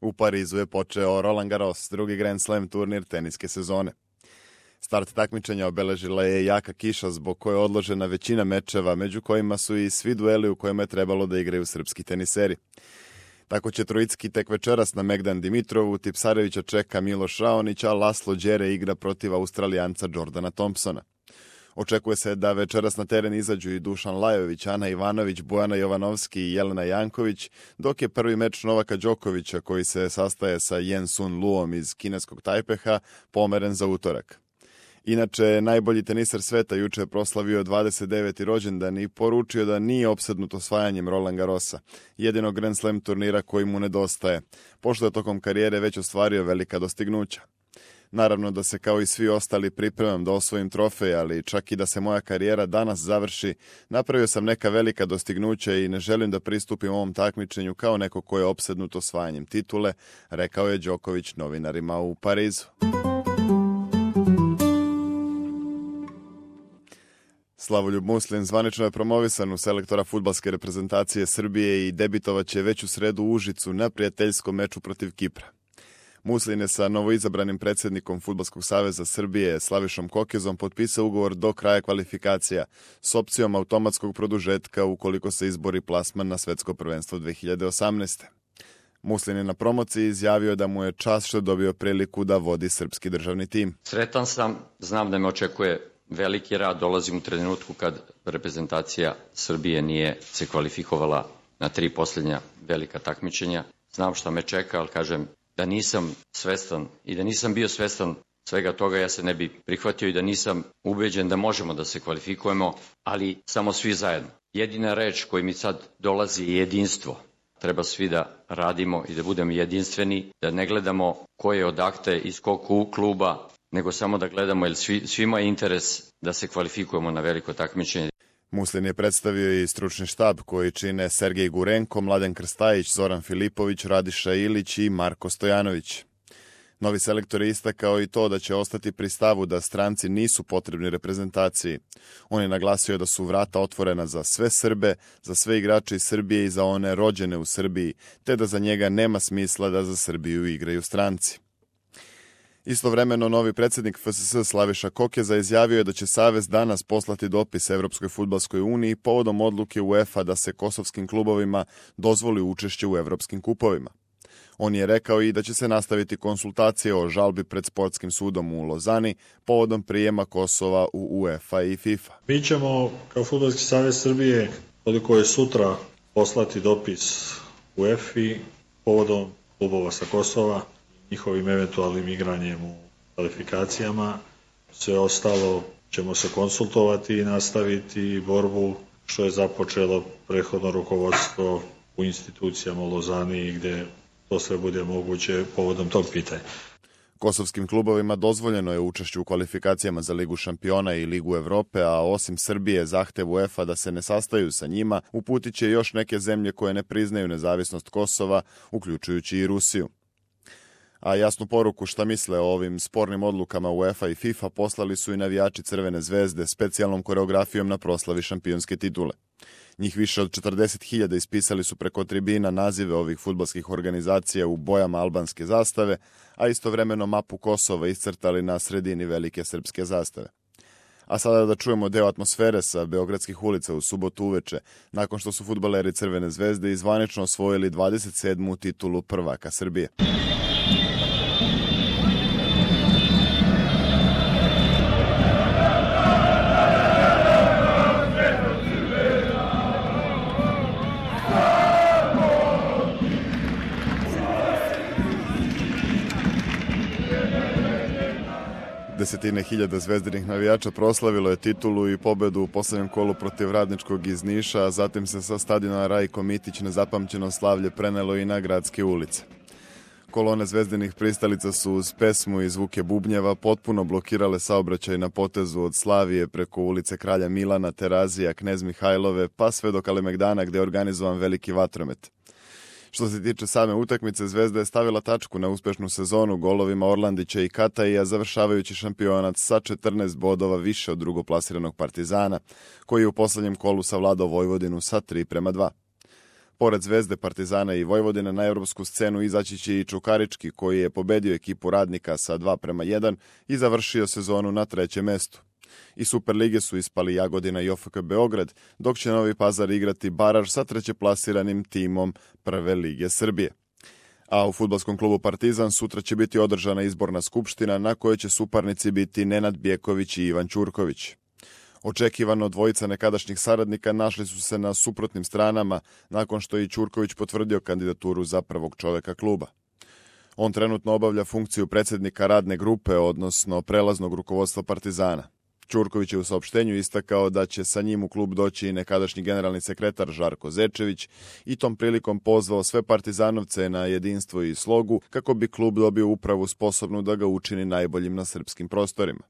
U Parizu je počeo Roland Garros, drugi Grand Slam turnir teniske sezone. Start takmičenja obeležila je jaka kiša zbog koje je odložena većina mečeva, među kojima su i svi dueli u kojima je trebalo da igraju srpski teniseri. Tako će Trojicki tek večeras na Megdan Dimitrovu, Tipsarevića čeka Miloš Raonić, a Laslo Đere igra protiv Australijanca Jordana Thompsona. Očekuje se da večeras na teren izađu i Dušan Lajović, Ana Ivanović, Bojana Jovanovski i Jelena Janković, dok je prvi meč Novaka Đokovića, koji se sastaje sa Yen Sun Luom iz kineskog Tajpeha, pomeren za utorak. Inače, najbolji teniser sveta juče je proslavio 29. rođendan i poručio da nije opsednut osvajanjem Roland Garrosa, jedinog Grand Slam turnira koji mu nedostaje, pošto je tokom karijere već ostvario velika dostignuća. Naravno da se kao i svi ostali pripremam da osvojim trofej, ali čak i da se moja karijera danas završi, napravio sam neka velika dostignuća i ne želim da pristupim ovom takmičenju kao neko ko je opsednut osvajanjem titule, rekao je Đoković novinarima u Parizu. Slavoljub Muslin zvanično je promovisan u selektora fudbalske reprezentacije Srbije i debitovaće već u sredu u Užicu na prijateljskom meču protiv Kipra. Muslin je sa novoizabranim predsjednikom Fudbalskog saveza Srbije Slavišom Kokezom potpisao ugovor do kraja kvalifikacija s opcijom automatskog produžetka ukoliko se izbori plasman na svetsko prvenstvo 2018. Muslin je na promociji izjavio da mu je čast što je dobio priliku da vodi srpski državni tim. Sretan sam, znam da me očekuje veliki rad, dolazim u trenutku kad reprezentacija Srbije nije se kvalifikovala na 3 posljednja velika takmičenja. Znam šta me čeka, ali kažem da nisam svestan i da nisam bio svestan svega toga, ja se ne bi prihvatio i da nisam ubeđen da možemo da se kvalifikujemo, ali samo svi zajedno. Jedina reč koja mi sad dolazi je jedinstvo. Treba svi da radimo i da budemo jedinstveni, da ne gledamo ko je odakle iz kog kluba, nego samo da gledamo, jer svima je interes da se kvalifikujemo na veliko takmičenje. Muslin je predstavio i stručni štab koji čine Sergej Gurenko, Mladen Krstajić, Zoran Filipović, Radiša Ilić i Marko Stojanović. Novi selektor je istakao i to da će ostati pri stavu da stranci nisu potrebni reprezentaciji. On je naglasio da su vrata otvorena za sve Srbe, za sve igrače iz Srbije i za one rođene u Srbiji, te da za njega nema smisla da za Srbiju igraju stranci. Istovremeno, novi predsjednik FSS Slaviša Kokeza izjavio je da će Savez danas poslati dopis Evropskoj fudbalskoj uniji povodom odluke UEFA da se kosovskim klubovima dozvoli učešće u evropskim kupovima. On je rekao i da će se nastaviti konsultacije o žalbi pred sportskim sudom u Lozani povodom prijema Kosova u UEFA i FIFA. Mi ćemo kao Fudbalski savez Srbije, koliko je sutra, poslati dopis UEFA povodom klubova sa Kosova, njihovim eventualnim igranjem u kvalifikacijama. Sve ostalo ćemo se konsultovati i nastaviti borbu što je započelo prethodno rukovodstvo u institucijama u Lozani gde to sve bude moguće povodom tog pitanja. Kosovskim klubovima dozvoljeno je učešće u kvalifikacijama za Ligu šampiona i Ligu Evrope, a osim Srbije zahtev UEFA da se ne sastaju sa njima uputit će još neke zemlje koje ne priznaju nezavisnost Kosova, uključujući i Rusiju. A jasnu poruku šta misle o ovim spornim odlukama UEFA i FIFA poslali su i navijači Crvene zvezde specijalnom koreografijom na proslavi šampionske titule. Njih više od 40.000 ispisali su preko tribina nazive ovih fudbalskih organizacija u bojama albanske zastave, a istovremeno mapu Kosova iscrtali na sredini velike srpske zastave. A sada da čujemo deo atmosfere sa beogradskih ulica u subotu uveče, nakon što su fudbaleri Crvene zvezde zvanično osvojili 27. titulu prvaka Srbije. Desetine hiljada zvezdinih navijača proslavilo je titulu i pobedu u poslednjem kolu protiv Radničkog iz Niša, a zatim se sa stadiona Rajko Mitić nezapamćeno slavlje prenelo i na gradske ulice. Kolone zvezdinih pristalica su uz pesmu i zvuke bubnjeva potpuno blokirale saobraćaj na potezu od Slavije preko ulice Kralja Milana, Terazija, Knez Mihajlove, pa sve do Kalemegdana gde je organizovan veliki vatromet. Što se tiče same utakmice, Zvezda je stavila tačku na uspešnu sezonu golovima Orlandića i Kataija, završavajući šampionat sa 14 bodova više od drugoplasiranog Partizana, koji je u poslednjem kolu savladao Vojvodinu sa 3:2. Pored Zvezde, Partizana i Vojvodine na evropsku scenu izaći će i Čukarički, koji je pobedio ekipu Radnika sa 2:1 i završio sezonu na 3. mestu. Iz Superlige su ispali Jagodina i OFK Beograd, dok će Novi Pazar igrati baraž sa trećeplasiranim timom Prve lige Srbije. A u fudbalskom klubu Partizan sutra će biti održana izborna skupština na kojoj će suparnici biti Nenad Bjeković i Ivan Ćurković. Očekivano dvojica nekadašnjih saradnika našli su se na suprotnim stranama nakon što je Ćurković potvrdio kandidaturu za prvog čoveka kluba. On trenutno obavlja funkciju predsjednika radne grupe, odnosno prelaznog rukovodstva Partizana. Ćurković je u saopštenju istakao da će sa njim u klub doći i nekadašnji generalni sekretar Žarko Zečević i tom prilikom pozvao sve partizanovce na jedinstvo i slogu kako bi klub dobio upravu sposobnu da ga učini najboljim na srpskim prostorima.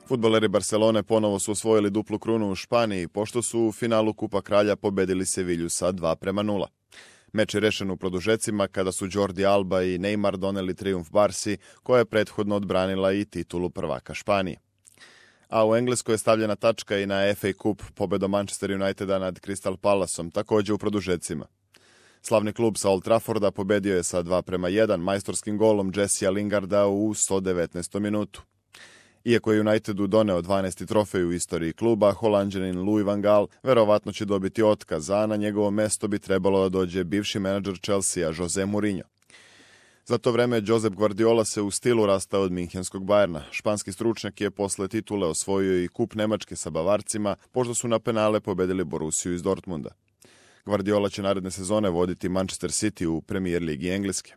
Fudbaleri Barcelone ponovo su osvojili duplu krunu u Španiji, pošto su u finalu Kupa Kralja pobedili Sevilju sa 2:0. Meč je rešen u produžecima kada su Jordi Alba i Neymar doneli trijumf Barsi, koja je prethodno odbranila i titulu prvaka Španije. A u Engleskoj je stavljena tačka i na FA Cup pobedom Manchester Uniteda nad Crystal Palaceom, također u produžecima. Slavni klub sa Old Trafforda pobedio je sa 2:1 majstorskim golom Jessea Lingarda u 119. minutu. Iako je Unitedu doneo 12. trofej u istoriji kluba, Holanđanin Louis van Gaal verovatno će dobiti otkaz, a na njegovo mesto bi trebalo da dođe bivši menadžer Chelsea, Jose Mourinho. Za to vreme Josep Guardiola se u stilu rastao od minhenskog Bayerna. Španski stručnjak je posle titule osvojio i kup Nemačke sa Bavarcima, pošto su na penale pobedili Borussiju iz Dortmunda. Guardiola će naredne sezone voditi Manchester City u Premier ligi Engleske.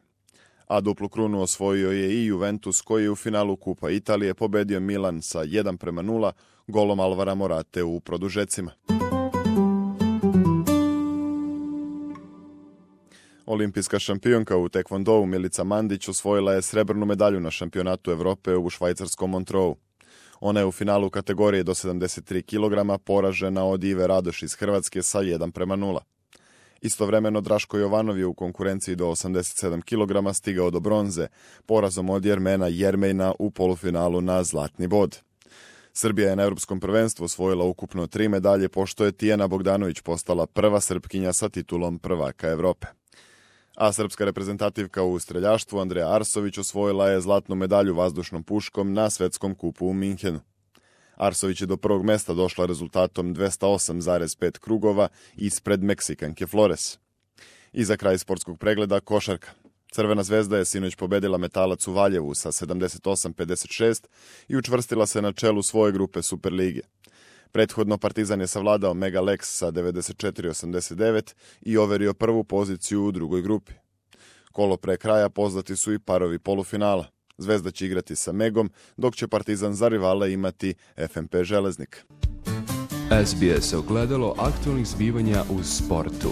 A duplu krunu osvojio je i Juventus, koji je u finalu Kupa Italije pobedio Milan sa 1:0 golom Alvara Morate u produžecima. Olimpijska šampionka u tekvondou Milica Mandić osvojila je srebrnu medalju na šampionatu Evrope u švajcarskom Montreux. Ona je u finalu kategorije do 73 kg poražena od Ive Radoš iz Hrvatske sa 1:0. Istovremeno Draško Jovanov je u konkurenciji do 87 kg stigao do bronze, porazom od Jermena Jermejna u polufinalu na zlatni bod. Srbija je na Europskom prvenstvu osvojila ukupno 3 medalje, pošto je Tijana Bogdanović postala prva Srpkinja sa titulom prvaka Evrope. A srpska reprezentativka u streljaštvu Andreja Arsović osvojila je zlatnu medalju vazdušnom puškom na svetskom kupu u Minhenu. Arsović je do prvog mesta došla rezultatom 208,5 krugova ispred Meksikanke Flores. I za kraj sportskog pregleda košarka. Crvena zvezda je sinoć pobedila Metalac u Valjevu sa 78-56 i učvrstila se na čelu svoje grupe Superlige. Prethodno Partizan je savladao Mega Lex sa 94-89 i overio prvu poziciju u drugoj grupi. Kolo pre kraja poznati su i parovi polufinala. Zvezda će igrati sa Megom, dok će Partizan za rivale imati FNP Železnik. SBS ogledalo aktualnih zbivanja u sportu.